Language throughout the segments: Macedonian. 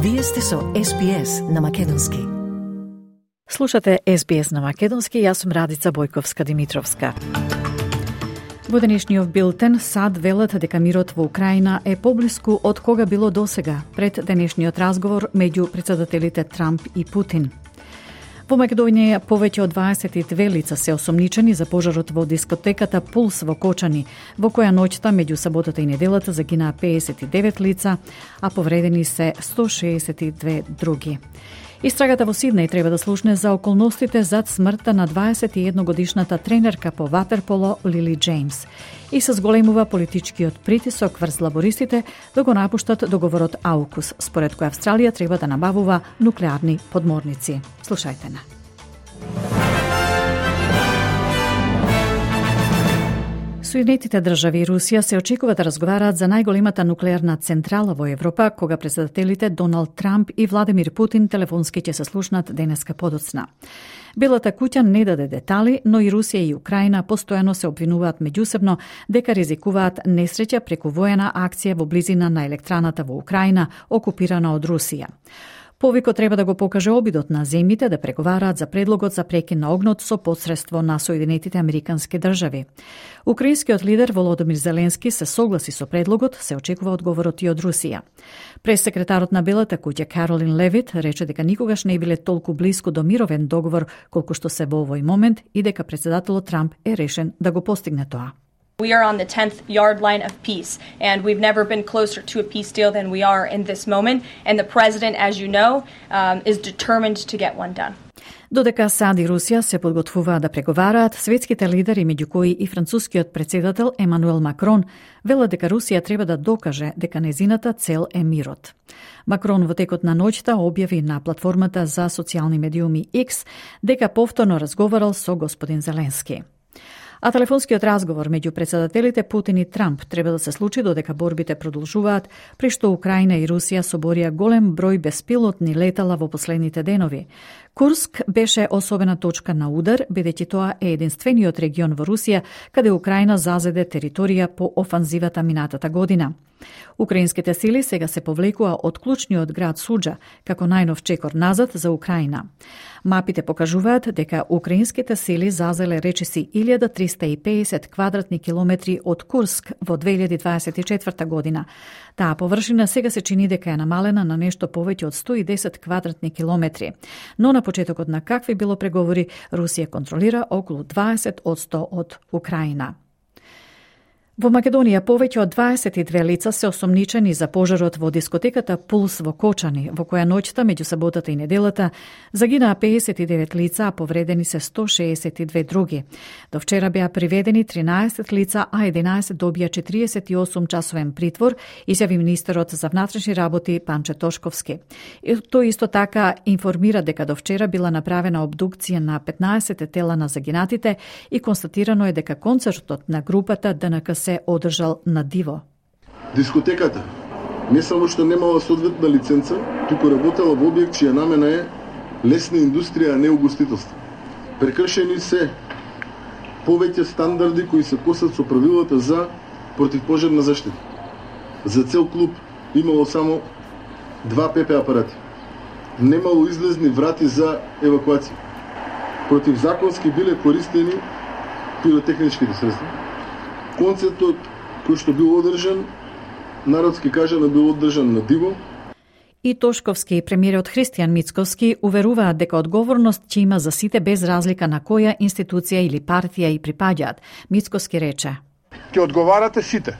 Вие сте со SBS на Македонски. Слушате SBS на Македонски, јас сум Радица Бојковска-Димитровска. Во денешниот билтен САД велат дека мирот во Украина е поблиску од кога било досега пред денешниот разговор меѓу председателите Трамп и Путин. Во Македонија повеќе од 22 лица се осомничени за пожарот во дискотеката Пулс во Кочани, во која ноќта меѓу саботата и неделата загинаа 59 лица, а повредени се 162 други. Истрагата во Сиднеј треба да слушне за околностите зад смртта на 21-годишната тренерка по ватерполо Лили Джеймс и се зголемува политичкиот притисок врз лабористите да го напуштат договорот АУКУС, според кој Австралија треба да набавува нуклеарни подморници. Слушајте на. Соединетите држави и Русија се очекува да разговараат за најголемата нуклеарна централа во Европа, кога председателите Доналд Трамп и Владимир Путин телефонски ќе се слушнат денеска подоцна. Белата куќа не даде детали, но и Русија и Украина постојано се обвинуваат меѓусебно дека ризикуваат несреќа преку воена акција во близина на електраната во Украина, окупирана од Русија. Повикот треба да го покаже обидот на земјите да преговараат за предлогот за прекин на огнот со посредство на Соединетите Американски држави. Украинскиот лидер Володимир Зеленски се согласи со предлогот, се очекува одговорот и од Русија. Пресекретарот на Белата куќа Каролин Левит рече дека никогаш не биле толку блиску до мировен договор колку што се во овој момент и дека председателот Трамп е решен да го постигне тоа. We are on the 10th yard line of peace, and we've never been closer to a peace deal than we are in this moment. And the president, as you know, is determined to get one done. Додека САД и Русија се подготвуваат да преговараат, светските лидери, меѓу кои и францускиот претседател Емануел Макрон, велат дека Русија треба да докаже дека незината цел е мирот. Макрон во текот на ноќта објави на платформата за социјални медиуми X дека повторно разговарал со господин Зеленски. А телефонскиот разговор меѓу председателите Путин и Трамп треба да се случи додека борбите продолжуваат, при што Украина и Русија соборија голем број беспилотни летала во последните денови. Курск беше особена точка на удар, бидејќи тоа е единствениот регион во Русија каде Украина зазеде територија по офанзивата минатата година. Украинските сили сега се повлекува од клучниот град Суџа, како најнов чекор назад за Украина. Мапите покажуваат дека украинските сили зазеле речиси 1350 квадратни километри од Курск во 2024 година. Таа површина сега се чини дека е намалена на нешто повеќе од 110 квадратни километри. Но на почетокот на какви било преговори, Русија контролира околу 20% од Украина. Во Македонија повеќе од 22 лица се осомничени за пожарот во дискотеката Пулс во Кочани, во која ноќта меѓу саботата и неделата загинаа 59 лица, а повредени се 162 други. До вчера беа приведени 13 лица, а 11 добија 48 часовен притвор, изјави министерот за внатрешни работи Панче Тошковски. И тој исто така информира дека до вчера била направена обдукција на 15 тела на загинатите и констатирано е дека концертот на групата ДНК се одржал на диво. Дискотеката не само што немала соодветна лиценца, туку работела во објект чија намена е лесна индустрија, а не угостителство. Прекршени се повеќе стандарди кои се косат со правилата за противпожарна заштита. За цел клуб имало само 2 ПП апарати. Немало излезни врати за евакуација. Противзаконски биле користени пиротехничките средства. Концертот кој што бил одржан, народски кажано бил одржан на диво. И Тошковски и премиерот Христијан Мицковски уверуваат дека одговорност ќе има за сите без разлика на која институција или партија и припаѓаат. Мицковски рече: Ќе одговарате сите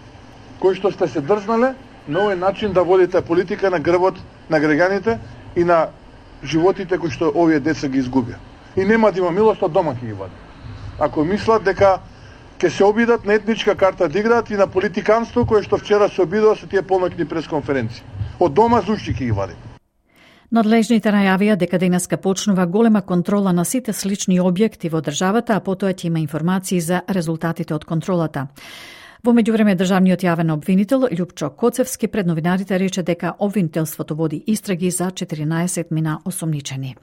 кои што сте се дрзнале на овој начин да водите политика на грбот на граѓаните и на животите кои што овие деца ги изгубија. И нема да има милост, од дома ќе ги води. Ако мислат дека ќе се обидат на етничка карта да играат и на политиканство кое што вчера се обидува со тие полноќни пресконференции. Од дома зушти ќе ги вади. Надлежните најавија дека денеска почнува голема контрола на сите слични објекти во државата, а потоа ќе има информации за резултатите од контролата. Во меѓувреме државниот јавен обвинител Љупчо Коцевски пред новинарите рече дека обвинителството води истраги за 14 мина осомничени.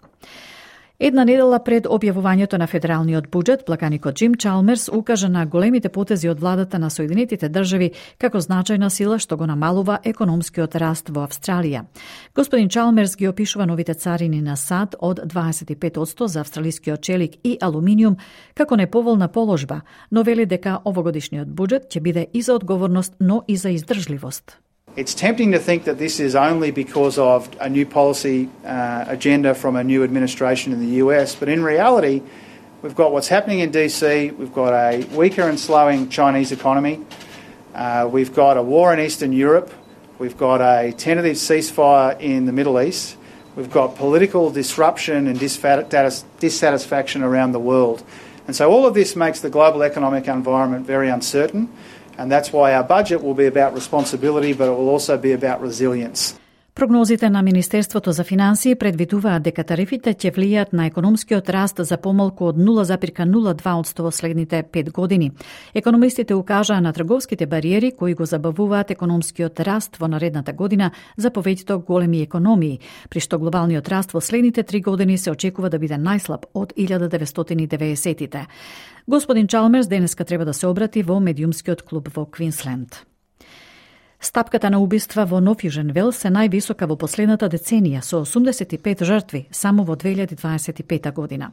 Една недела пред објавувањето на федералниот буџет, плаканикот Џим Чалмерс укажа на големите потези од владата на Соединетите држави како значајна сила што го намалува економскиот раст во Австралија. Господин Чалмерс ги опишува новите царини на САД од 25% за австралискиот челик и алуминиум како неповолна положба, но вели дека овогодишниот буџет ќе биде и за одговорност, но и за издржливост. It's tempting to think that this is only because of a new policy agenda from a new administration in the US, but in reality, we've got what's happening in DC, we've got a weaker and slowing Chinese economy, we've got a war in Eastern Europe, we've got a tentative ceasefire in the Middle East, we've got political disruption and dissatisfaction around the world. And so all of this makes the global economic environment very uncertain. And that's why our budget will be about responsibility, but it will also be about resilience. Прогнозите на Министерството за финансии предвидуваат дека тарифите ќе влијаат на економскиот раст за помалку од 0,02% во следните 5 години. Економистите укажаа на трговските бариери кои го забавуваат економскиот раст во наредната година за повеќето големи економии, при што глобалниот раст во следните 3 години се очекува да биде најслаб од 1990-тите. Господин Чалмерс денеска треба да се обрати во медиумскиот клуб во Квинсленд. Стапката на убиства во Нов Јужен Велс е највисока во последната деценија, со 85 жртви само во 2025 година.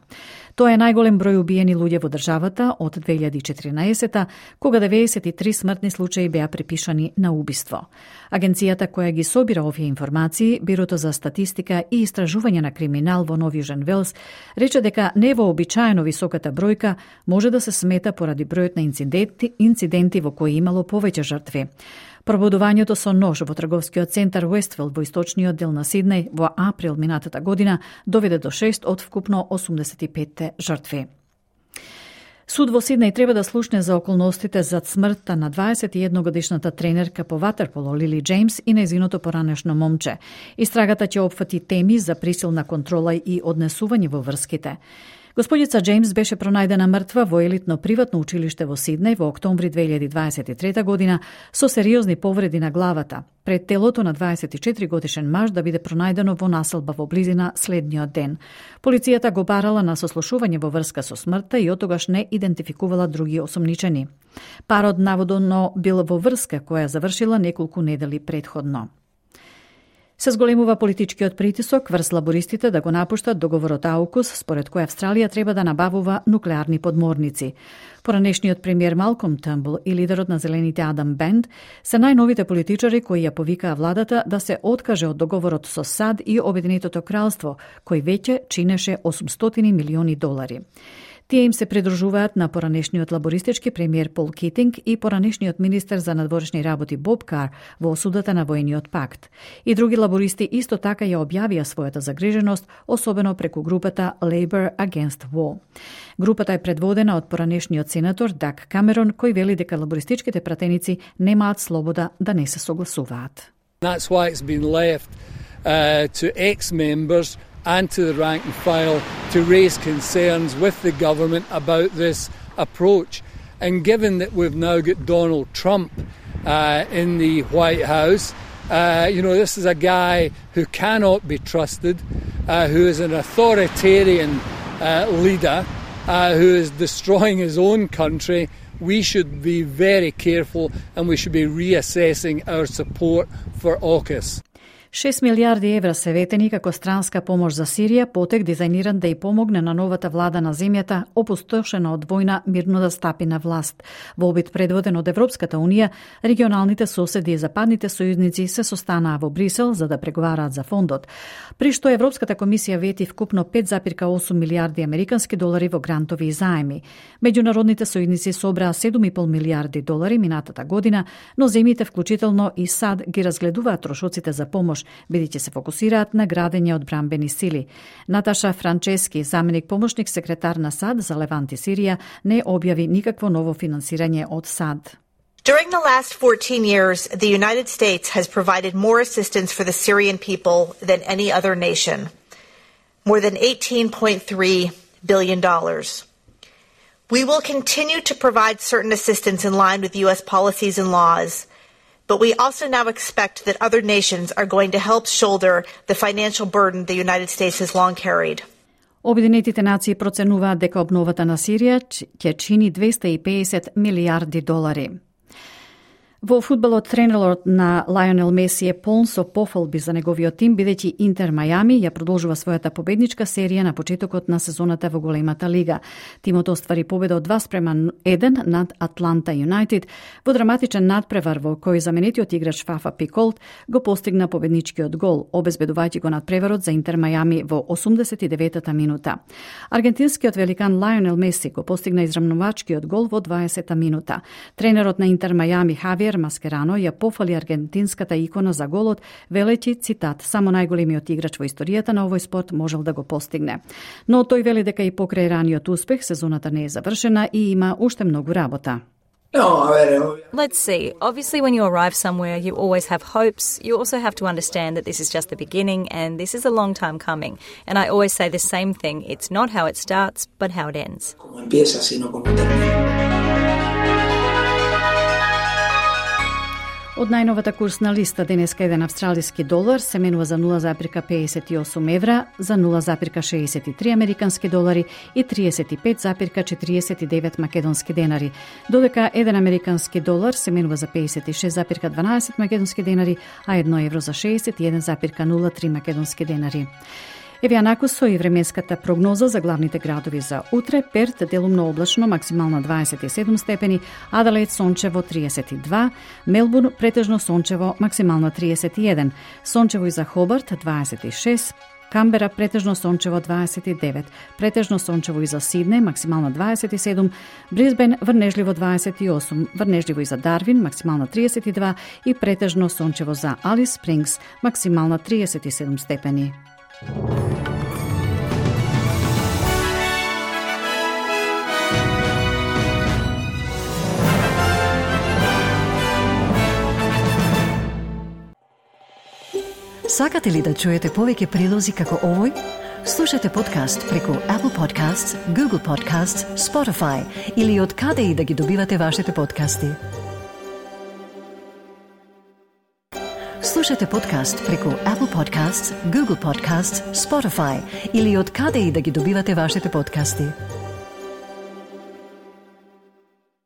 Тоа е најголем број убиени луѓе во државата од 2014, кога 93 смртни случаи беа припишани на убиство. Агенцијата која ги собира овие информации, Бирото за статистика и истражување на криминал во Нов Јужен Велс, рече дека невообичаено високата бројка може да се смета поради бројот на инциденти во кои имало повеќе жртви. Пробудувањето со нож во трговскиот центар Уестфилд во источниот дел на Сиднеј во април минатата година доведе до 6 од вкупно 85 жртви. Суд во Сиднеј треба да слушне за околностите зад смртта на 21-годишната тренерка по ватерполо Лили Джеймс и нејзиното поранешно момче. Истрагата ќе опфати теми за присилна контрола и однесување во врските. Господица Джеймс беше пронајдена мртва во елитно приватно училиште во Сиднеј во октомври 2023 година со сериозни повреди на главата, пред телото на 24 годишен маж да биде пронајдено во населба во близина следниот ден. Полицијата го барала на сослушување во врска со смртта и отогаш не идентификувала други осомничени. Парот наводно бил во врска која завршила неколку недели предходно. Се зголемува политичкиот притисок врз лабористите да го напуштат договорот AUKUS, според кој Австралија треба да набавува нуклеарни подморници. Поранешниот премиер Малком Търнбул и лидерот на Зелените Адам Бенд се најновите политичари кои ја повикаа владата да се откаже од договорот со САД и Обединетото кралство, кој веќе чинеше $800 милиони. Тие им се придружуваат на поранешниот лабористички премиер Пол Китинг и поранешниот министер за надворешни работи Боб Кар во осудата на војниот пакт. И други лабористи исто така ја објавија својата загриженост, особено преку групата Labour Against War. Групата е предводена од поранешниот сенатор Даг Камерон, кој вели дека лабористичките пратеници немаат слобода да не се согласуваат. That's why it's been left to ex-members and to the rank and file to raise concerns with the government about this approach. And given that we've now got Donald Trump in the White House, this is a guy who cannot be trusted, who is an authoritarian leader, who is destroying his own country. We should be very careful and we should be reassessing our support for AUKUS. 6 милиарди евра се ветени како странска помош за Сирија, потек дизајниран да ја помогне на новата влада на земјата, опустошена од војна, мирно да стапи на власт. Во обид предводен од Европската Унија, регионалните соседи и западните сојузници се состанаа во Брисел за да преговараат за фондот, при што Европската комисија вети вкупно 5,8 милиарди американски долари во грантови и заеми. Меѓународните сојузници собраа 7,5 милиарди долари минатата година, но земјите, вклучително и САД, ги разгледуваат трошоците за помош, бидејќи се фокусираат на градење одбранбени сили. Наташа Франчески, заменик помошник секретар на САД за Левант и Сирија, не објави никакво ново финансирање од САД. During the last 14 years, the United States has provided more assistance for the Syrian people than any other nation. More than $18.3 billion. We will continue to provide certain assistance in line with U.S. policies and laws, but we also now expect that other nations are going to help shoulder the financial burden the United States has long carried. Обединетите нации проценуваат дека обновата на Сирија ќе чини $250 милиарди. Во фудбалот, тренерот на Лајонел Меси е полн со пофалби за неговиот тим, бидејќи Интер Мајами ја продолжува својата победничка серија на почетокот на сезоната во големата лига. Тимот оствари победа од 2-1 над Атланта Юнајтед во драматичен надпревар во кој заменетиот играч Фафа Пиколт го постигна победничкиот гол, обезбедувајќи го надпреварот за Интер Мајами во 89-та минута. Аргентинскиот великан Лајонел Меси го постигна израмнувачкиот гол во 20-та минута. Тренерот на Интер Мајами Хавиер Маскерано ја пофали аргентинската икона за голот, велејќи, цитат, само најголемиот играч во историјата на овој спорт можел да го постигне. Но тој вели дека и покрај раниот успех сезоната не е завршена и има уште многу работа. Let's see. Obviously, when you arrive somewhere, you always have hopes. You also have to understand that this is just the beginning and this is a long time coming. And I always say the same thing. It's not how it starts, but how it ends. Од најновата курсна листа денеска еден австралиски долар се менува за 0,58 евра, за 0,63 американски долари и 35,49 македонски денари, додека еден американски долар се менува за 56,12 македонски денари, а 1 евро за 61,03 македонски денари. Еве анаку со и временската прогноза за главните градови за утре. Перт делумно облачно, максимална 27 степени, Аделаид сончево 32, Мелбурн претежно сончево, максимална 31, сончево и за Хобарт 26, Камбера претежно сончево 29, претежно сончево и за Сидне, максимална 27, Брисбен врнежливо 28, врнежливо и за Дарвин, максимална 32 и претежно сончево за Алис Спрингс, максимална 37 степени. Сакате ли да чуете повеќе прилози како овој? Слушате подкаст преку Apple Podcasts, Google Podcasts, Spotify или од каде и да ги добивате вашите подкасти. Слушате подкаст преку Apple Podcasts, Google Podcasts, Spotify или од каде и да ги добивате вашите подкасти.